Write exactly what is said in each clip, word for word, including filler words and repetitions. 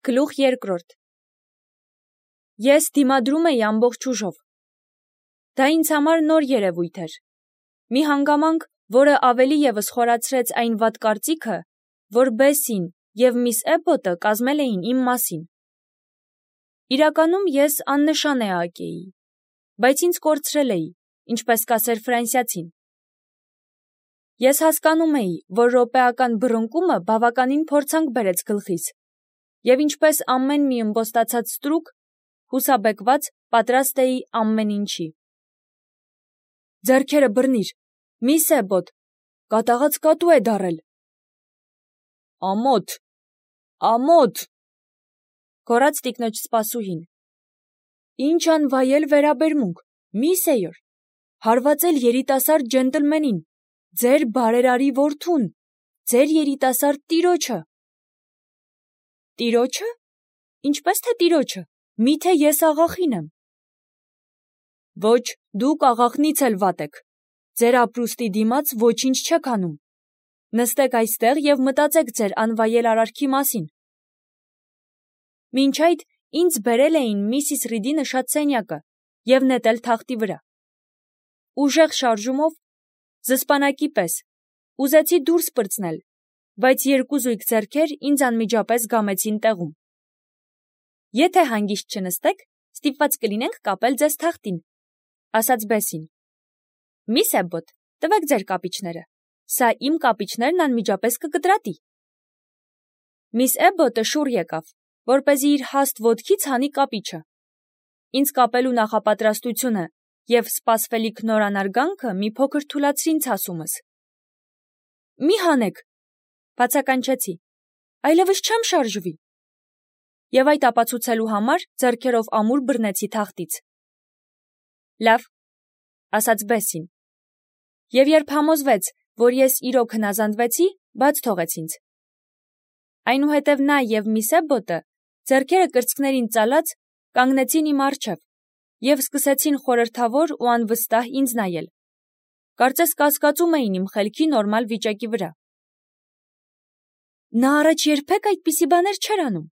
Գլուխ երկրորդ։ Ես դիմադրում էի ամբողջ ուժով։ Դա ինձ համար նոր երևույթ էր։ Մի հանգամանք, որը ավելի ևս խորացրեց այն վատ կարծիքը, որ Բեսին և միս Էբոտը կազմել էին իմ մասին։ Իրականում ես աննշան էակ էի, բայց ինձ կորցրել էի, ինչպես կասեր ֆրանսիացին։ Ես հասկանում էի, որ րոպեական բռնկումը բավականին փորձանք բերեց գլխիս, և ինչպես ամեն մի ըմբոստացած ստրուկ, հուսաբեկված պատրաստ էի ամեն ինչի։ Ձեռքերը բռնիր, միս Էբոտ, կատաղած կատու է դառել։ Ամոթ, ամոթ, գոռաց տիկնոջ սպասուհին։ Ինչ անվայել վերաբերմունք, միս Էյր, հարվածել երիտասարդ ջենտլմենին, ձեր բարերարի որդուն, ձեր երիտասարդ տիրոջը։ Տիրոջը։ Ինչպես թե տիրոջը, միթե ես աղախին եմ։ Ոչ, դուք աղախնից էլ վատ եք, ձեր ապրուստի դիմաց ոչինչ չեք անում։ Նստեք այստեղ և մտածեք ձեր անվայել արարքի մասին։ Մինչ այդ ինձ բերել էին միսիս Ռիդի նշած սենյակը և նետել թախտի վրա։ Ուժեղ շարժումով, զսպանակի պես, ուզեցի դուրս պրծնել, բայց երկու զույգ ձեռքեր ինձ անմիջապես գամեցին տեղում։ Եթե հանգիստ չնստեք, ստիպված կլինենք կապել ձեզ թախտին, ասաց Բեսին։ Միս Էբոտ, տվեք ձեր կապիչները, սա իմ կապիչներն անմիջապես կկտրատի։ Միս Էբոտը շուռ եկավ, որպեսզի իր հաստ ոտքից հանի կապիչը։ Ինձ կապելու նախապատրաստությունը և սպասվելիք նորանար գանքը մի փոքր թուլացրին ցասումս։ Մի հանեք, բացականչեցի, այլևս չեմ շարժվի։ Եվ այդ ապացուցելու համար ձեռքերով ամուր բռնեցի թախտից։ Լավ, ասաց Բեսին։ Եվ երբ համոզվեց, որ ես իրոք հնազանդվեցի, բաց թողեց ինձ։ Այնուհետև նա և միս Էբոտը, ձեռքերը կրծքներին ծալած, կանգնեցին իմ առջև և սկսեցին խորհրդավոր ու անվստահ ինձ նայել։ Կարծես կասկածում էին իմ խելքի նորմալ վիճակի վրա։ Նա առաջ երբեք այդպիսի բաներ չէր անում,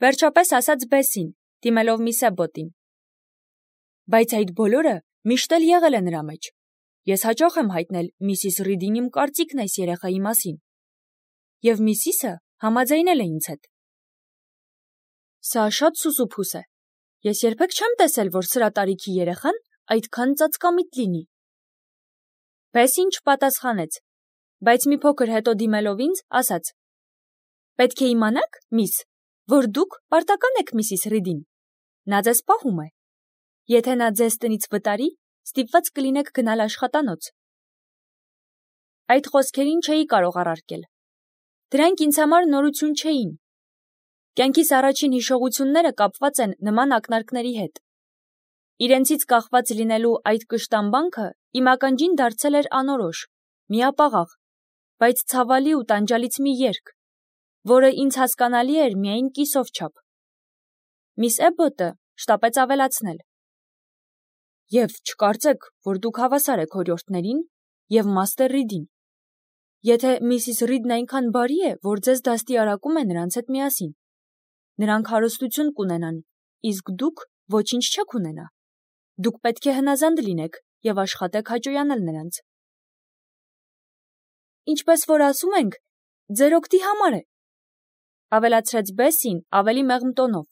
վերջապես ասաց Բեսին, դիմելով միս Էբոտին։ Բայց այդ բոլորը միշտ էլ եղել է նրա մեջ։ Ես հաճախ եմ հայտնել միսիս Ռիդին իմ կարծիքն այս երեխայի մասին։ Եվ միսիսը համաձայնել է ինձ հետ։ Սա շատ սուսուփուս է։ Ես երբեք չեմ տեսել, որ սրա տարիքի երեխան այդքան ծածկամիտ լինի։ Բեսին չպատասխանեց, բայց մի փոքր հետո դիմելով ինձ, ասաց. Պետք է իմանաք, միս, որ դուք պարտական եք միսիս Ռիդին։ Նա ձեզ պահում է։ Եթե նա ձեզ տնից վտարի, ստիպված կլինեք գնալ աշխատանոց։ Այդ խոսքերին չէի կարող առարկել։ Դրանք ինձ համար նորություն չէին։ Կյանքիս առաջին հիշողությունները կապված են նման ակնարկների հետ։ Իրենցից կախված լինելու այդ կշտամբանքը իմ ականջին դարձել էր անորոշ, միապաղաղ, բայց ցավալի ու տանջալից մի երգ, որը ինձ հասկանալի էր միայն կիսով չափ։ Միս Էբոտը շտապեց ավելացնել. Եվ չկարծեք, որ դուք հավասար եք օրիորդներին և մաստեր Ռիդին։ Եթե միսիս Ռիդն այնքան բարի է, որ ձեզ դաստիարակում է նրանց հետ միասին, նրանք հարստություն կունենան, իսկ դուք ոչինչ չեք ունենա։ Դուք պետք է հնազանդ լինեք և աշխատեք հաճոյանալ նրանց։ Ինչպես որ ասում ենք, ձեր օգտի համար է, ավելացրեց Բեսին ավելի մեղմ տոնով։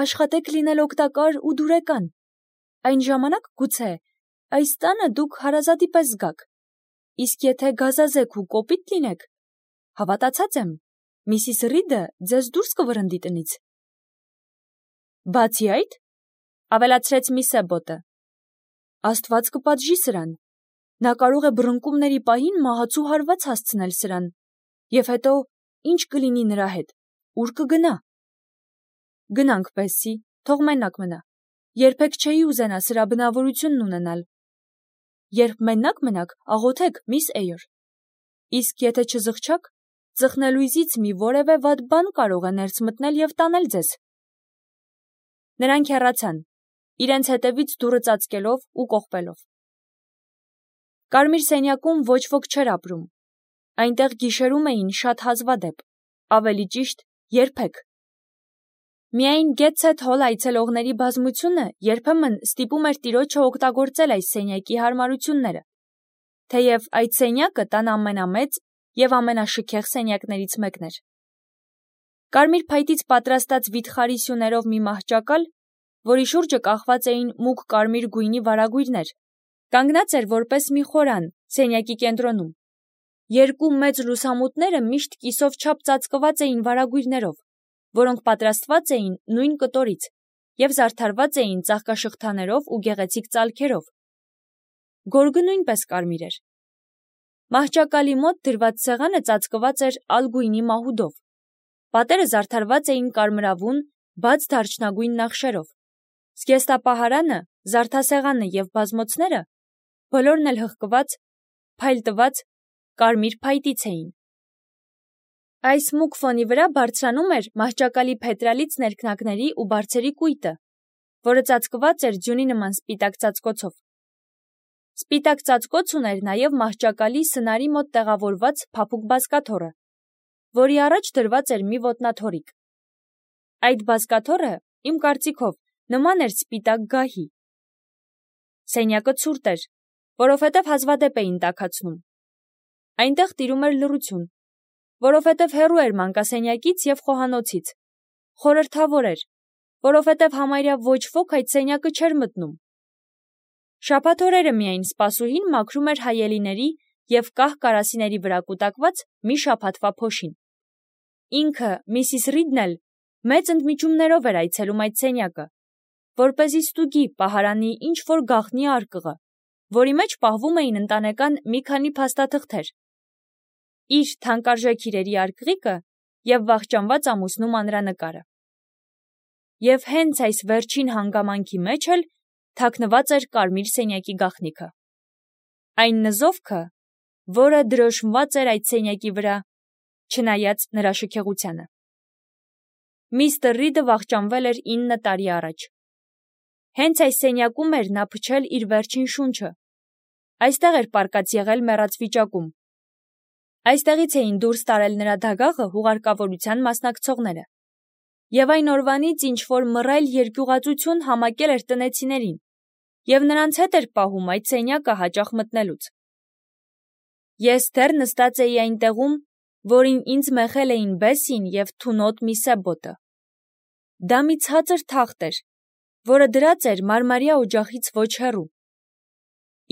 Աշխատեք լինել օգտակար ու դուրեկան, այն ժամանակ գուցե այս տանը դուք հարազատի պես զգաք, իսկ եթե գազազեք ու կոպիտ լինեք, հավատացած եմ, միսիս Ռիդը ձեզ դուրս կվռնդի տնից։ Բացի այդ, ավելացրեց միս Էբոտը, Աստված կպատժի սրան, նա կարող է բռնկումների պահին մահացու հարված հասցնել սրան, և հետո ինչ կլինի նրա հետ, ուր կգնա։ Գնանք, Բեսի, թող մենակ մնա, երբեք չէի ուզենա սրա բնավորությունն ունենալ։ Երբ մենակ մնաք, աղոթեք, միս Էյր։ Իսկ եթե չզղջաք, ծխնելույզից մի որևէ վատ բան կարող է ներս մտնել և տանել ձեզ։ Նրանք հեռացան, իրենց հետևից դուռը ծածկելով ու կողպելով։ Կարմիր սենյակում ոչ ոք չէր ապրում։ Այնտեղ գիշերում էին շատ հազվադեպ, ավելի ճիշտ երբեք։ Միայն Gateshead Hall այցելողների բազմությունը երբեմն ստիպում էր տիրոջը օգտագործել այս սենյակի հարմարությունները, թեև այդ սենյակը տան ամենամեծ և ամենաշքեղ սենյակներից մեկն էր։ Կարմիր փայտից պատրաստած վիթխարի սյուներով մի մահճակալ, որի շուրջը կախված էին մուգ կարմիր գույնի վարագույրներ, կանգնած էր որպես մի խորան սենյակի կենտրոնում։ Երկու մեծ լուսամուտները միշտ կիսով չափ ծածկված էին վարագույրներով, որոնք պատրաստված էին նույն կտորից և զարդարված էին ծաղկաշղթաներով ու գեղեցիկ ծալքերով։ Գորգը նույնպես կարմիր էր։ Մահճակալի մոտ դրված սեղանը ծածկված էր ալ գույնի մահուդով։ Պատերը զարդարված էին կարմրավուն, բաց դարչնագույն նախշերով։ Զգեստապահարանը, զարդասեղանը և բազմոցները բոլորն էլ հղկված, փայլտված կարմիր փայտից էին։ Այս մուգ ֆոնի վրա բարձրանում էր մահճակալի փետրալից ներքնակների ու բարձերի կույտը, որը ծածկված էր ձյունի նման սպիտակ ծածկոցով։ Սպիտակ ծածկոց ուներ նաև մահճակալի սնարի մոտ տեղավորված փափուկ բազկաթոռը, որի առաջ դրված էր մի ոտնաթոռիկ։ Այդ բազկաթոռը, իմ կարծիքով, նման էր սպիտակ գահի։ Սենյակը ցուրտ էր, որովհետև հազվադեպ էին տաքացնում։ Այնտեղ տիրում էր լռություն, որովհետև հեռու էր մանկասենյակից և խոհանոցից, խորհրդավոր էր, որովհետև համարյա ոչ ոք այդ սենյակը չէր մտնում։ Շաբաթ օրերը միայն սպասուհին մաքրում էր հայելիների և կահ կարասիների վրա կուտակված մի շաբաթվա փոշին։ Ինքը, միսիս Ռիդն էլ, մեծ ընդմիջումներով էր այցելում այդ սենյակը, որպեսզի ստուգի պահարանի ինչ-որ գաղտնի արկղը, որի մեջ պահվում էին ընտանեկան մի քանի փաստաթղթեր, իր թանկարժեք իրերի արկղիկը և վախճանված ամուսնու մանրանկարը։ Եվ հենց այս վերջին հանգամանքի մեջ էլ թաքնված էր կարմիր սենյակի գաղտնիքը։ Այն նզովքը, որը դրոշմված էր այդ սենյակի վրա, չնայած նրա շքեղությանը։ Միստր Ռիդը վախճանվել էր ինը տարի առաջ։ Հենց այս սենյակում էր նա փչել իր վերջին շունչը։ Այստեղ էր պառկած եղել մեռած վիճակում։ Այստեղից էին դուրս տարել նրա դագաղը հուղարկավորության մասնակցողները։ Եվ այն օրվանից ինչ-որ մռայլ երկյուղածություն համակել էր տնեցիներին, և նրանց հետ էր պահում այդ սենյակը հաճախ մտնելուց։ Ես դեռ նստած էի այն տեղում, որին ինձ մեխել էին Բեսին և թունոտ Միսեբոտը։ Դա մի ցածր թախտ էր, որը դրած էր մարմարյա օջախից ոչ հեռու։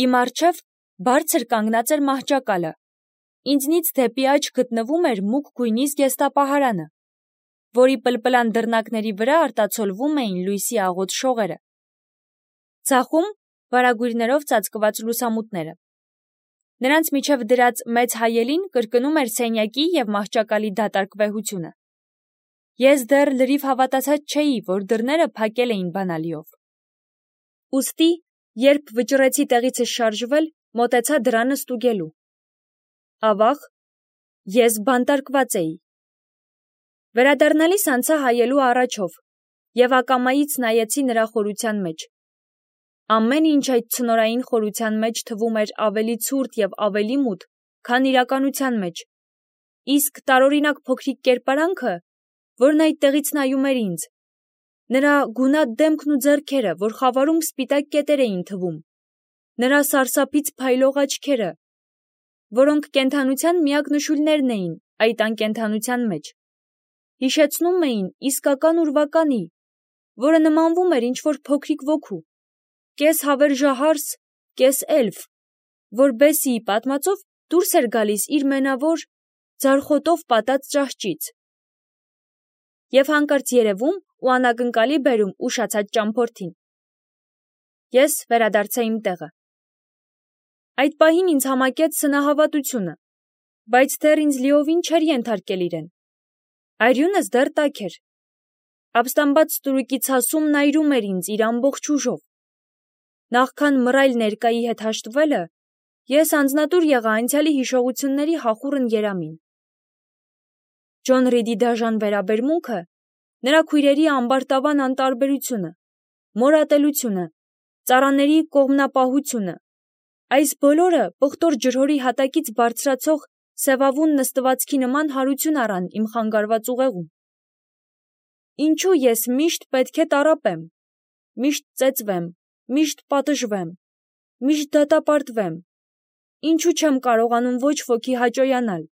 Իմ առջև բարձր կանգնած էր մահճակալը, ինձնից դեպի աջ գտնվում էր մուգ գույնի զգեստապահարանը, որի պլպլան դռնակների վրա արտացոլվում էին լույսի աղոտ շողերը։ Ձախում վարագույրներով ծածկված լուսամուտները։ Նրանց միջև դրած մեծ հայելին կրկնում էր սենյակի և մահճակալի դատարկ վեհությունը։ Ես դեռ լրիվ հավատացած չէի, որ դռները փակել էին բանալիով։ Ուստի, երբ վճռեցի տեղիցս շարժվել, մոտեցա դռանը ստուգելու։ Ավաղ, ես բանտարկված էի։ Վերադառնալիս անցա հայելու առաջով և ակամայից նայեցի նրա խորության մեջ։ Ամեն ինչ այդ ցնորային խորության մեջ թվում էր ավելի ցուրտ և ավելի մութ, քան իրականության մեջ, իսկ տարօրինակ փոքրիկ կերպարանքը, որն այդտեղից նայում էր ինձ, նրա գունատ դեմքն ու ձեռքերը, որ խավարում սպիտակ կետեր էին թվում, նրա սարսափից փայլող աչքերը, որոնք կենդանության միակ նշույլներն էին այդ անկենդանության մեջ, հիշեցնում էին իսկական ուրվականի, որը նմանվում էր ինչ-որ փոքրիկ ոգու, կես հավերժահարս, կես էլֆ, որ Բեսիի պատմածով դուրս էր գալիս իր մենավոր, ձարխոտով պատած ճահճից և հանկարծ երևում ու անակնկալի բերում ուշացած ճամփորդին։ Ես վերադարձա իմ տեղը։ Այդ պահին ինձ համակեց սնահավատությունը, բայց դեռ ինձ լիովին չէր ենթարկել իրեն։ Արյունս դեռ տաք էր։ Ապստամբած ստրուկի ցասում նայրում էր ինձ իր ամբողջ ուժով։ Նախքան մռայլ ներկայի հետ հաշտվելը, ես անձնատուր եղա անցյալի հիշողությունների հախուռն երամին։ Ջոն Ռիդի դաժան վերաբերմունքը, նրա քույրերի ամբարտավան անտարբերությունը, մորատելությունը, ծառաների կողմնապահությունը, այս բոլորը պղտոր ջրհորի հատակից բարձրացող սևավուն նստվածքի նման հարություն առան իմ խանգարված ուղեղում։ Ինչու ես միշտ պետք է տառապեմ, միշտ ծեծվեմ, միշտ պատժվեմ, միշտ դատապարտվեմ, ինչու չեմ կարողանում ոչ ոքի հաճոյանալ,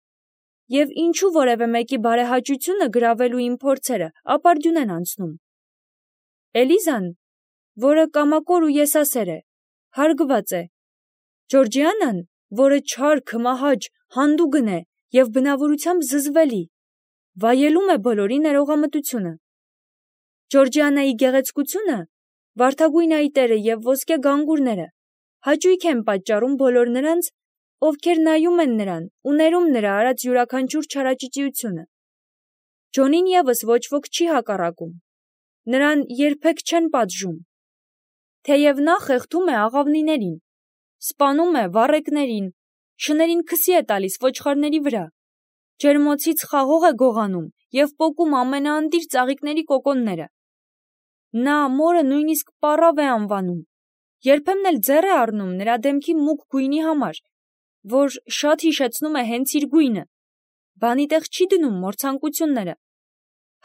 և ինչու որևէ մեկի բարեհաճությունը գրավելու իմ փորձերը ապարդյուն են անցնում։ Էլիզան, որը կամակոր ու եսասեր է, հարգված է, Ջորջիանան, որը չար, քմահաճ, հանդուգն է և բնավորությամբ զզվելի, վայելում է բոլորի ներողամտությունը։ Ջորջիանայի գեղեցկությունը, վարդագույն այտերը և ոսկե գանգուրները հաճույք են պատճառում բոլոր նրանց, ովքեր նայում են նրան ու ներում նրա արած յուրաքանչյուր չարաճճիությունը։ Ջոնին ևս ոչ ոք չի հակառակում, նրան երբեք չեն պատժում, թեև նա խեղդում է աղավնիներին, սպանում է վառեկներին, շներին քսի է տալիս ոչխարների վրա, ջերմոցից խաղող է գողանում և պոկում ամենաընտիր ծաղիկների կոկոնները։ Նա մորը նույնիսկ պառավ է անվանում, երբեմն էլ ձեռ է առնում նրա դեմքի մուգ գույնի համար, որ շատ հիշեցնում է հենց իր գույնը, բանի տեղ չի դնում մորցանկությունները,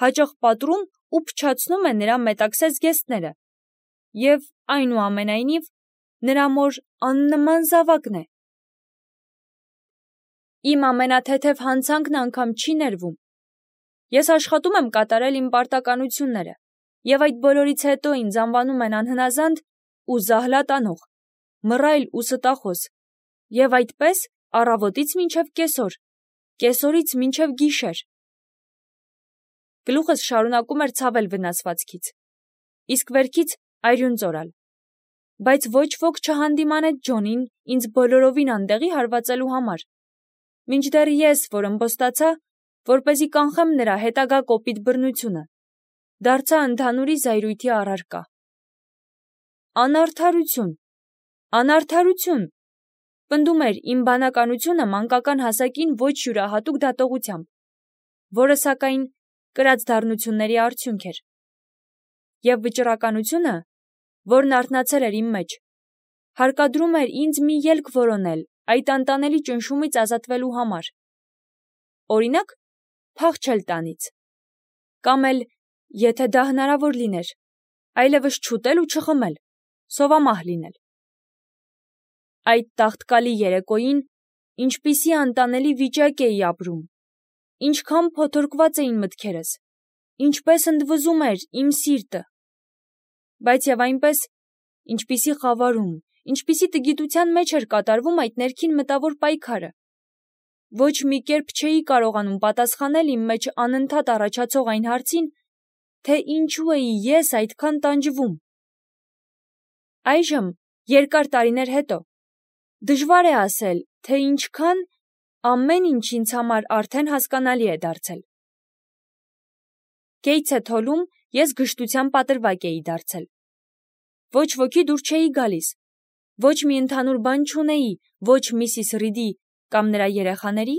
հաճախ պատռում ու փչացնում է նրա մետաքսե զգեստները և, այնուամենայնիվ, նրա մոր աննման զավակն է։ Իմ ամենաթեթև հանցանքն անգամ չի ներվում։ Ես աշխատում եմ կատարել իմ պարտականությունները, և այդ բոլորից հետո ինձ անվանում են անհնազանդ ու զահլատ անող, մռայլ ու ստախոս, և այդպես առավոտից մինչև կեսօր, կեսօրից մինչև գիշեր։ Գլուխս շարունակում էր ցավել վնասվածքից, իսկ վերքից այրուն ծորալ, բայց ոչ ոք չհանդիմանեց Ջոնին ինձ բոլորովին անտեղի հարվածելու համար, մինչդեռ ես, որ ըմբոստացա, որպեսզի կանխեմ նրա հետագա կոպիտ բռնությունը, դարձա ընդհանուրի զայրույթի առարկա։ Անարդարություն, անարդարություն, պնդում էր իմ բանականությունը մանկական հասակին ոչ յուրահատուկ դատողությամբ, որը, սակայն, կրած դառնությունների արդյունք էր։ Եվ վճռականությունը, որն արթնացել էր իմ մեջ, հարկադրում էր ինձ մի ելք որոնել այդ անտանելի ճնշումից ազատվելու համար։ Օրինակ, փախչել տանից, կամ էլ, եթե դա հնարավոր լիներ, այլևս չուտել ու չխմել, սովամահ լինել։ Այդ տաղտկալի երեկոյին ինչպիսի անտանելի վիճակ էի ապրում, ինչքան փոթորկված էին մտքերս, ինչպես ընդվզում էր իմ սիրտը, բայց և այնպես, ինչպիսի խավարում, ինչպիսի տգիտության մեջ էր կատարվում այդ ներքին մտավոր պայքարը։ Ոչ մի կերպ չէի կարողանում պատասխանել իմ մեջ անընդհատ առաջացող այն հարցին, թե ինչու էի ես այդքան տանջվում։ Այժմ, երկար տարիներ հետո, դժվար է ասել, թե ինչքան ամեն ինչ ինձ համար արդեն հասկանալի է դարձել։ Կեյթսեթ հոլում ես գժտության պատրվակ էի դարձել։ Ոչ ոքի դուր չէի գալիս, ոչ մի ընդհանուր բան չունեի ոչ միսիս Ռիդի կամ նրա երեխաների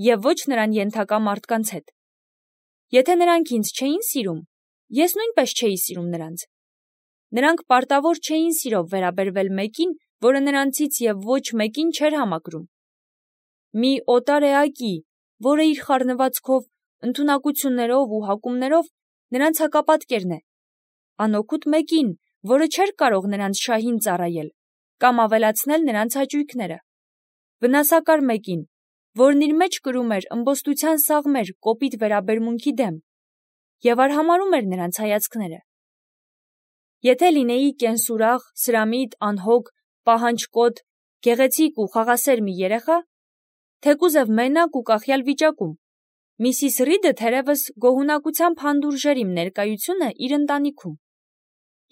և ոչ նրան ենթակա մարդկանց հետ։ Եթե նրանք ինձ չէին սիրում, ես նույնպես չէի սիրում նրանց։ Նրանք պարտավոր չէին սիրով վերաբերվել մեկին, որը նրանցից և ոչ մեկին չէր համակրում։ Մի օտար էակի, որը իր խառնվածքով, ընդունակություններով ու հակումներով նրանց հակապատկերն է, անօգուտ մեկին, որը չէր կարող նրանց շահին ծառայել կամ ավելացնել նրանց հաճույքները, վնասակար մեկին, որն իր մեջ կրում էր ըմբոստության սաղմեր կոպիտ վերաբերմունքի դեմ և արհամարհում էր նրանց հայացքները։ Եթե լինեի կենսուրախ, սրամիտ, անհոգ, պահանջկոտ, գեղեցիկ ու խաղաղասեր մի երեխա, թեկուզև մենակ ու կախյալ վիճակում, միսիս Ռիդը թերևս գոհունակությամբ հանդուրժեր իմ ներկայությունը իր ընտանիքում։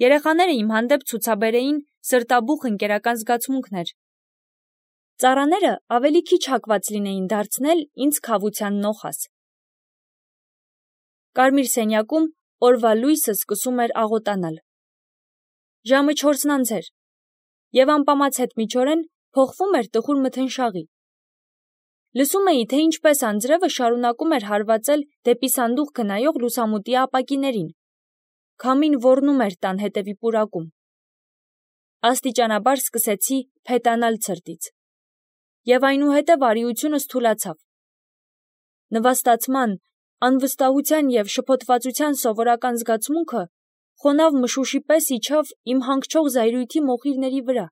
Երեխաները իմ հանդեպ ցուցաբերեին սրտաբուխ ընկերական զգացմունքներ։ Ծառաները ավելի քիչ հակված լինեին դարձնել ինձ քավության նոխազ։ Կարմիր սենյակում օրվա լույսը սկսում էր աղոտանալ։ Ժամը չորսն անց էր, և ամպամած հետմիջորեն փոխվում էր տխուր մթնշաղի։ Լսում էի, թե ինչպես անձրևը շարունակում էր հարվածել դեպի սանդուղք գնայող լուսամուտի ապակիներին, քամին ոռնում էր տան հետևի պուրակում։ Աստիճանաբար սկսեցի փետանալ ցրտից, և այնուհետև արիությունս թուլացավ։ Նվաստացման, անվստահության և շփոթվածության սովորական զգացմունքը խոնավ մշուշի պես իջավ իմ հանգչող զայրույթի մոխիրների վրա։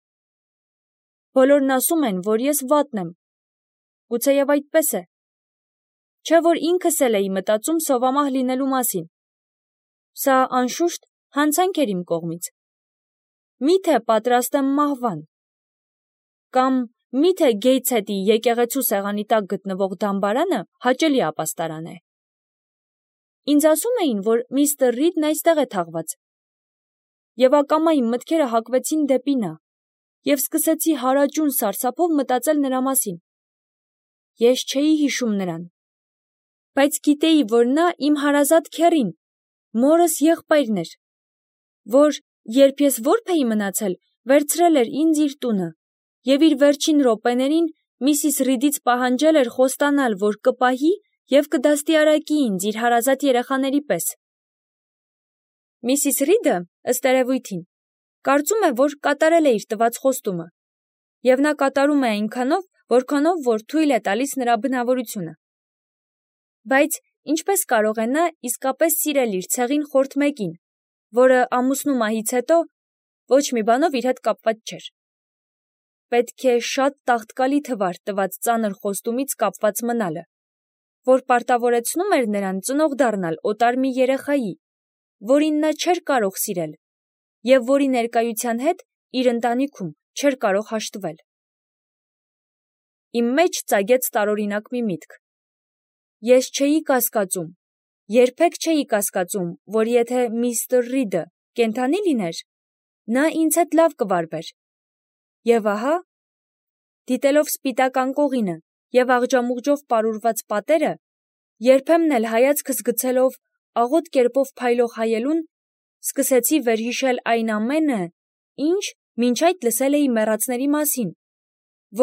Բոլորն ասում են, որ ես վատն եմ։ Գուցեև այդպես է։ Չէ՞ որ ինքս էլ էի մտածում սովամահ լինելու մասին։ Սա, անշուշտ, հանցանք էր իմ կողմից։ Մի՞թե պատրաստ եմ մահվան։ Կամ մի՞թե Գեյթսհեթի եկեղեցու սեղանի տակ գտնվող դամբարանը հաճելի ապաստարան է։ Ինձ ասում էին, որ միստր Ռիդն այստեղ է թաղված։ Եվ ակամա իմ մտքերը հակվեցին դեպի նա, և սկսեցի հարաճուն սարսափով մտածել նրա մասին։ Ես չէի հիշում նրան, բայց գիտեի, որ նա իմ հարազատ քեռին, մորս եղբայրն էր, որ, երբ ես որբ էի մնացել, վերցրել էր ինձ իր տունը և իր վերջին րոպեներին միսիս Ռիդից պահանջել էր խոստանալ, որ կպահի և կդաստիարակի ինձ իր հարազատ երեխաների պես։ Միսիս Ռիդը, ըստ երևույթին, կարծում է, որ կատարել է իր տված խոստումը, և նա կատարում է այնքանով, որքանով որ թույլ է տալիս նրա բնավորությունը։ Բայց ինչպես կարող է նա իսկապես սիրել իր ցեղին խորթ մեկին, որը ամուսնու մահից հետո ոչ մի բանով իր հետ կապված չէր։ Պետք է շատ տաղտկալի թվար տված ծանր խոստումից կապված մնալը, որ պարտավորեցնում էր նրան ծնող դառնալ օտար մի երեխայի, որին նա չէր կարող սիրել և որի ներկայության հետ իր ընտանիքում չէր կարող հաշտվել։ Իմ մեջ ծագեց տարօրինակ մի միտք։ Ես չէի կասկածում, երբեք չէի կասկածում, որ եթե միստր Ռիդը կենդանի լիներ, նա ինձ հետ լավ կվարվեր։ Եվ ահա, դիտելով սպիտակ անկողինը և աղջամուղջով պարուրված պատերը, երբեմն էլ հայացքս գցելով աղոտ կերպով փայլող հայելուն, սկսեցի վերհիշել այն ամենը, ինչ մինչ այդ լսել էի մեռածների մասին,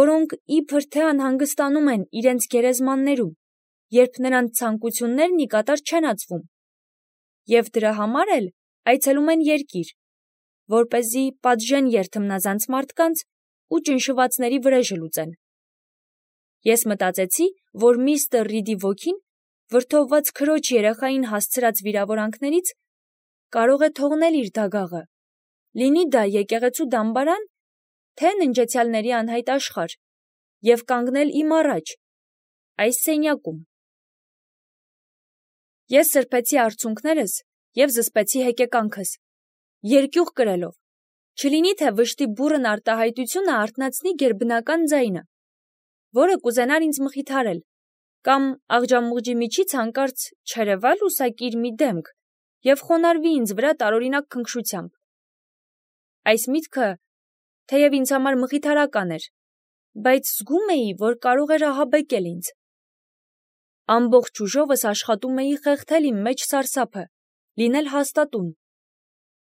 որոնք իբր թե անհանգստանում են իրենց գերեզմաններում, երբ նրանց ցանկություններն ի կատար չեն ածվում, և դրա համար էլ այցելում են երկիր, որպեսզի պատժեն երդմնազանց մարդկանց ու ճնշվածների վրեժը լուծեն։ Ես մտածեցի, որ միստր Ռիդի ոգին, վրդովված քրոջ երեխային հասցրած վիրավորանքներից, կարող է թողնել իր դագաղը, լինի դա եկեղեցու դամբարան, թե ննջեցյալների անհայտ աշխարհ, և կանգնել իմ առաջ, այս սենյակում։ Ես սրբեցի արցունքներս և զսպեցի հեկեկանքս, երկյուղ կրելով, չլինի թե վշտի բուռն արտահայտությունը արթնացնի գերբնական ձայնը, որը կուզենար ինձ մխիթարել, կամ աղջամուղջի միջից հանկարծ չերևալ լուսակիր մի դեմք և խոնարհվի ինձ վրա տարօրինակ քնքշությամբ։ Այս միտքը, թեև ինձ համար մխիթարական էր, բայց զգում էի, որ կարող էր ահաբեկել ինձ։ Ամբողջ ուժովս աշխատում էի խեղդել իմ մեջ սարսափը, լինել հաստատուն։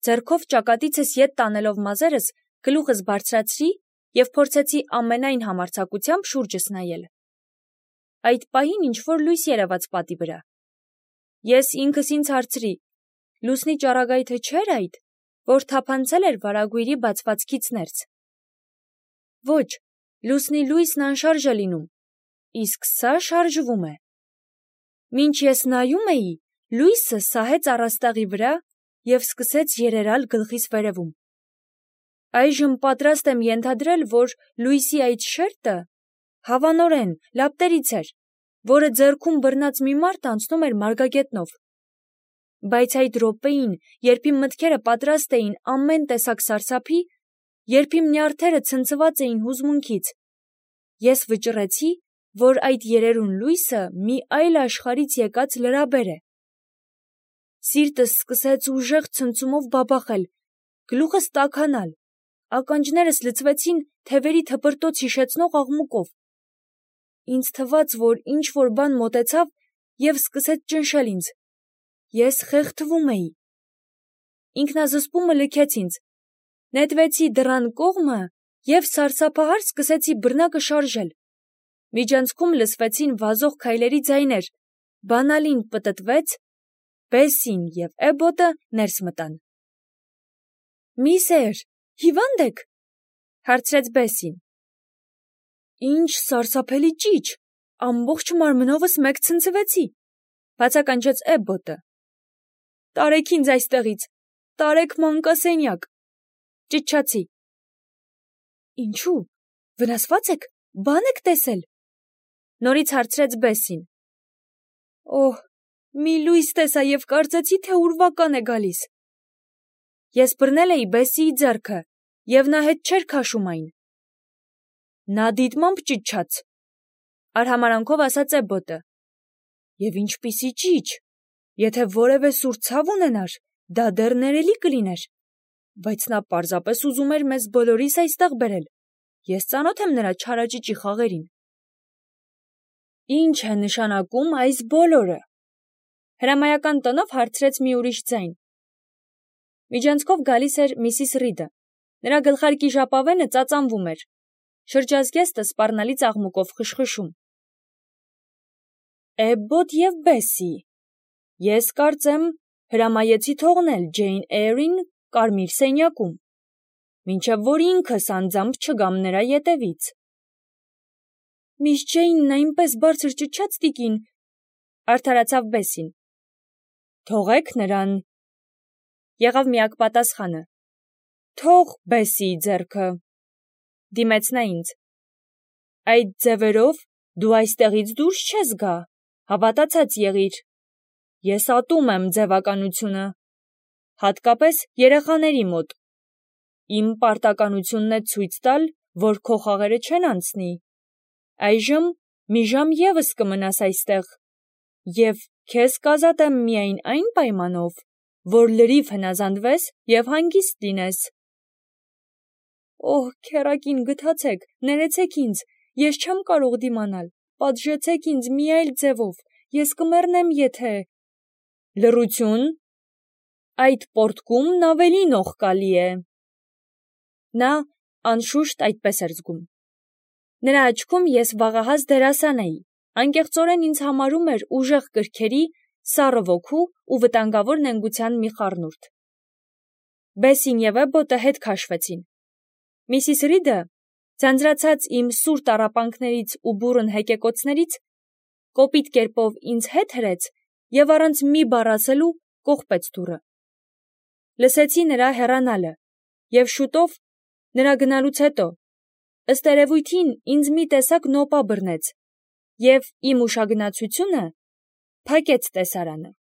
Ձեռքով ճակատիցս ետ տանելով մազերս, գլուխս բարձրացրի և փորձեցի ամենայն համարձակությամբ շուրջս նայել։ Այդ պահին ինչ-որ լույս երևաց պատի վրա։ Ես ինքս ինձ հարցրի. լուսնի ճառագայթը չէ՞ր այդ, որ թափանցել էր վարագույրի բացվածքից ներս։ Ոչ, լուսնի լույսն անշարժ է լինում, իսկ սա շարժվում է։ Մինչ ես նայում էի, լույսը սահեց առաստաղի վրա և սկսեց երերալ գլխիս վերևում։ Այժմ պատրաստ եմ ենթադրել, որ լույսի այդ շերտը հավանորեն լապտերից էր, որը ձեռքում բռնած մի մարդ անցնում էր մարգագետնով։ Բայց այդ րոպեին, երբ իմ մտքերը պատրաստ էին ամեն տեսակ սարսափի, երբ իմ նյարդերը ցնցված էին հուզմունքից, ես վճռեցի, որ այդ երերուն լույսը մի այլ աշխարհից եկած լրաբեր է։ Սիրտս սկսեց ուժեղ ցնցումով բաբախել, գլուխս տաքանալ, ականջներս լցվեցին թևերի թպրտոց հիշեցնող աղմուկով։ Ինձ թվաց, որ ինչ-որ բան մոտեցավ և սկսեց ճնշել ինձ։ Ես խեղդվում էի։ Ինքնազսպումը լքեց ինձ, նետվեցի դռան կողմը և սարսափահար սկսեցի բռնակը շարժել։ Միջանցքում լսվեցին վազող քայլերի ձայներ, բանալին պտտվեց, Բեսսին և Էբոտը ներս մտան։ «Մի սեր, հիվա՞նդ եք», հարցրեց Բեսսին։ «Ինչ սարսափելի ճիչ, ամբողջ մարմնովս մեկ ցնցվեցի», Բացականչեց Էբբոտը։ Տարեք ինձ այստեղից, տարեք մանկասենյակ։ Ճիչացի։ Ինչու, վնասված եք, բան եք տեսել։ Նորից հարցրեց Բեսին։ Օհ, մի լույս տեսա և կարծեցի, թե ուրվական է գալիս։ Ես բռնել էի Բեսիի ձեռքը, և նա հետ չէր քաշում այն։ Նա դիտմամբ ճիչաց, արհամարանքով ասաց Էբբոտը։ Եվ ինչպիսի ճիչ, եթե որևէ սուր ցավ ունենար, դա դեռ ներելի կլիներ, բայց նա պարզապես ուզում էր մեզ բոլորիս այստեղ բերել, ես ծանոթ եմ նրա չարաճճի խաղերին։ Ինչ է նշանակում այս բոլորը, հրամայական տոնով հարցրեց մի ուրիշ ձայն։ Միջանցքով գալիս էր Միսիս Ռիդը, նրա գլխարկի ժապավենը ծածանվում էր, շրջազգեստը սպառնալից աղմուկով խշխշում։ Էբբոտ և Բեսի, ես կարծեմ, հրամայեցի թողնել Ջեյն Էյրին կարմիր սենյակում, մինչև որ ինքս անձամբ չգամ նրա ետևից։ Միս Ջեյնն այնպես բարձր ճչաց, տիկին, արդարացավ Բեսին։ Թողեք նրան, եղավ միակ պատասխանը։ Թող Բեսիի ձեռքը, դիմեց նա ինձ։ Այդ ձևերով դու այստեղից դուրս չես գա, հավատացած եղիր։ Ես ատում եմ ձևականությունը, հատկապես երեխաների մոտ։ Իմ պարտականությունն է ցույց տալ, որ քո խաղերը չեն անցնի։ Այժմ մի ժամ ևս կմնաս այստեղ, և քեզ կազատեմ միայն այն պայմանով, որ լրիվ հնազանդվես և հանգիստ լինես։ Օհ, քեռակին գթացեք, ներեցեք ինձ, ես չեմ կարող դիմանալ, պատժեցեք ինձ մի այլ ձևով, ես կմեռնեմ, եթե… Լռություն, այդ պոռթկումն ավելի նողկալի է։ Նա անշուշտ այդպես էր զգում։ Նրա աչքում ես վաղահաս դերասան էի, անկեղծորեն ինձ համարում էր ուժեղ կրքերի, սառը ոգու ու վտանգավոր նենգության մի խառնուրդ։ Բեսին և Էբբոտը հետ քաշվեցին։ Միսիս Ռիդը, ձանձրացած իմ սուր տառապանքներից ու բուռն հեկեկոցներից, կոպիտ կերպով ինձ հետ հրեց և առանց մի բառ ասելու կողպեց դուռը։ Լսեցի նրա հեռանալը, և շուտով, նրա գնալուց հետո, ըստ երևույթին ինձ մի տեսակ նոպա բռնեց, և իմ ուշագնացությունը փակեց տեսարանը։